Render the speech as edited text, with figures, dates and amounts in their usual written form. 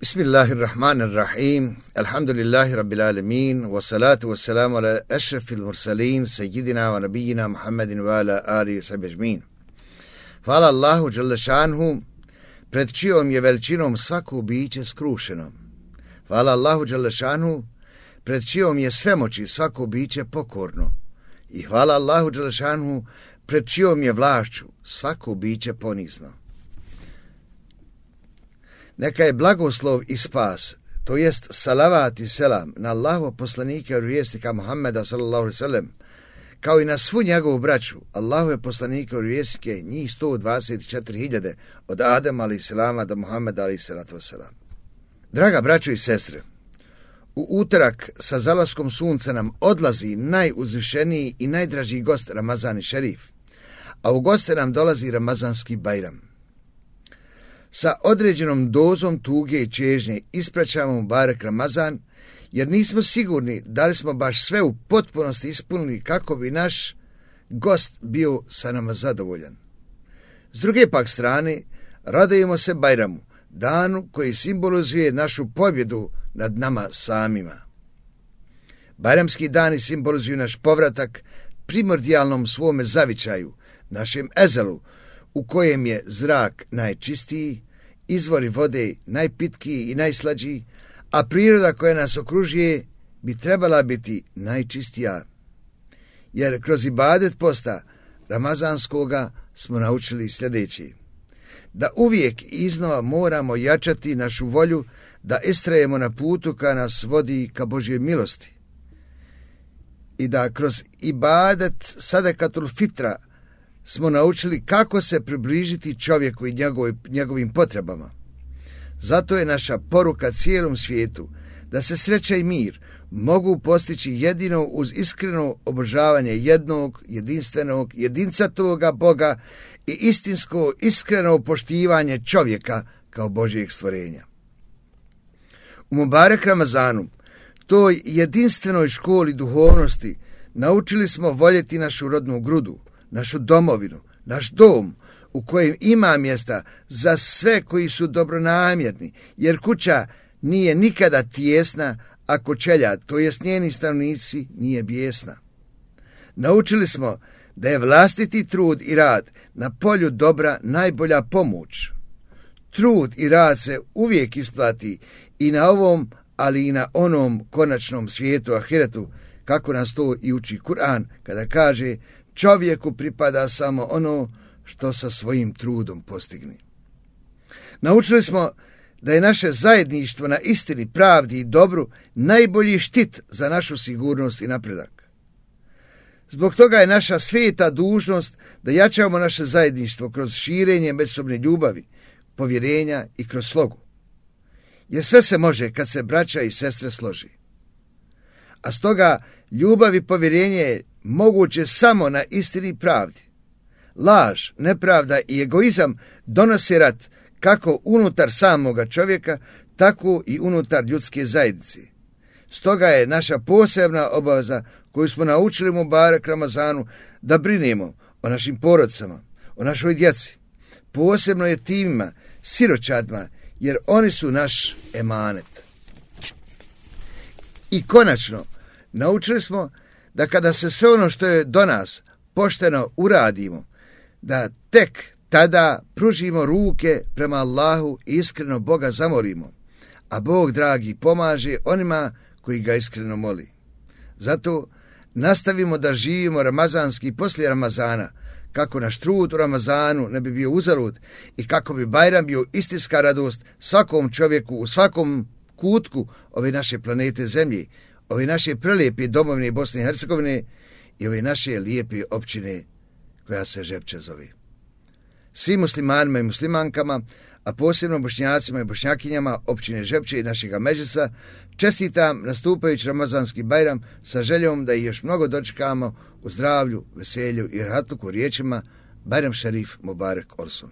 Bismillahirrahmanirrahim. Alhamdulillahi rabbil alamin. Wassalatu wassalamu ala ashrafil mursalin sayyidina wa nabiyina Muhammedin wa ala alihi wa sahbihi ajma'in. Hvala Allahu dželle šanhu, pred čijom je veličinom svako biće skrušeno. Hvala Allahu dželle šanhu, pred čijom je svemoći svako biće pokorno. I hvala Allahu dželle šanhu, pred čijom je vlašću svako biće ponizno. Neka je blagoslov i spas, to jest salavat i selam na Allahovog poslanika i vjesnika Muhammeda sallallahu alejhi ve sellem, kao i na svu njegovu braću, Allahove poslanike i vjesnike, njih 124.000 od Adama alejhi selama do Muhammeda alejhi salatu vesselam. Draga braćo i sestre, u utorak sa zalaskom sunca nam odlazi najuzvišeniji i najdraži gost Ramazan šerif, a u goste nam dolazi Ramazanski Bajram. Sa određenom dozom tuge i čežnje ispraćamo Mubarek Ramazan, jer nismo sigurni da li smo baš sve u potpunosti ispunili kako bi naš gost bio sa nama zadovoljan. S druge pak strane, radujemo se Bajramu, danu koji simbolizuje našu pobjedu nad nama samima. Bajramski dani simbolizuju naš povratak primordijalnom svome zavičaju, našem ezelu, u kojem je zrak najčistiji, izvori vode najpitkiji i najslađiji, a priroda koja nas okružuje bi trebala biti najčistija. Jer kroz ibadet posta ramazanskoga smo naučili sljedeće: da uvijek iznova moramo jačati našu volju da istrajemo na putu koja nas vodi ka Božjoj milosti i da kroz ibadet sadakatul fitra smo naučili kako se približiti čovjeku i njegovim potrebama. Zato je naša poruka cijelom svijetu da se sreća i mir mogu postići jedino uz iskreno obožavanje jednog, jedinstvenog, jedincatoga Boga i istinsko, iskreno poštivanje čovjeka kao Božjeg stvorenja. U Mubarek Ramazanu, toj jedinstvenoj školi duhovnosti, naučili smo voljeti našu rodnu grudu, našu domovinu, naš dom u kojem ima mjesta za sve koji su dobronamjerni, jer kuća nije nikada tijesna ako čelja, to jest njeni stanovnici, nije bijesna. Naučili smo da je vlastiti trud i rad na polju dobra najbolja pomoć. Trud i rad se uvijek isplati i na ovom, ali i na onom konačnom svijetu, ahiretu, kako nas to i uči Kur'an kada kaže: čovjeku pripada samo ono što sa svojim trudom postigne. Naučili smo da je naše zajedništvo na istini, pravdi i dobru najbolji štit za našu sigurnost i napredak. Zbog toga je naša sveta dužnost da jačamo naše zajedništvo kroz širenje međusobne ljubavi, povjerenja i kroz slogu. Jer sve se može kad se braća i sestre složi. A stoga ljubav i povjerenje je moguće samo na istini i pravdi. Laž, nepravda i egoizam donose rat kako unutar samoga čovjeka, tako i unutar ljudske zajednice. Stoga je naša posebna obaveza koju smo naučili u Mubarek Ramazanu da brinemo o našim porodicama, o našoj djeci, posebno jetimima, siročadima, jer oni su naš emanet. I konačno, naučili smo da kada se sve ono što je do nas pošteno uradimo, da tek tada pružimo ruke prema Allahu i iskreno Boga zamolimo, a Bog dragi pomaže onima koji ga iskreno moli. Zato nastavimo da živimo ramazanski poslije Ramazana, kako naš trud u Ramazanu ne bi bio uzalud i kako bi Bajram bio istinska radost svakom čovjeku u svakom kutku ove naše planete Zemlje, ove naše prelijepe domovine Bosne i Hercegovine i ove naše lijepe općine koja se Žepče zove. Svim muslimanima i muslimankama, a posebno bošnjacima i bošnjakinjama općine Žepče i našega Medžlisa, čestitam nastupajući Ramazanski Bajram sa željom da ih još mnogo dočekamo u zdravlju, veselju i rahatluku riječima: Bajram šerif Mubarek olsun.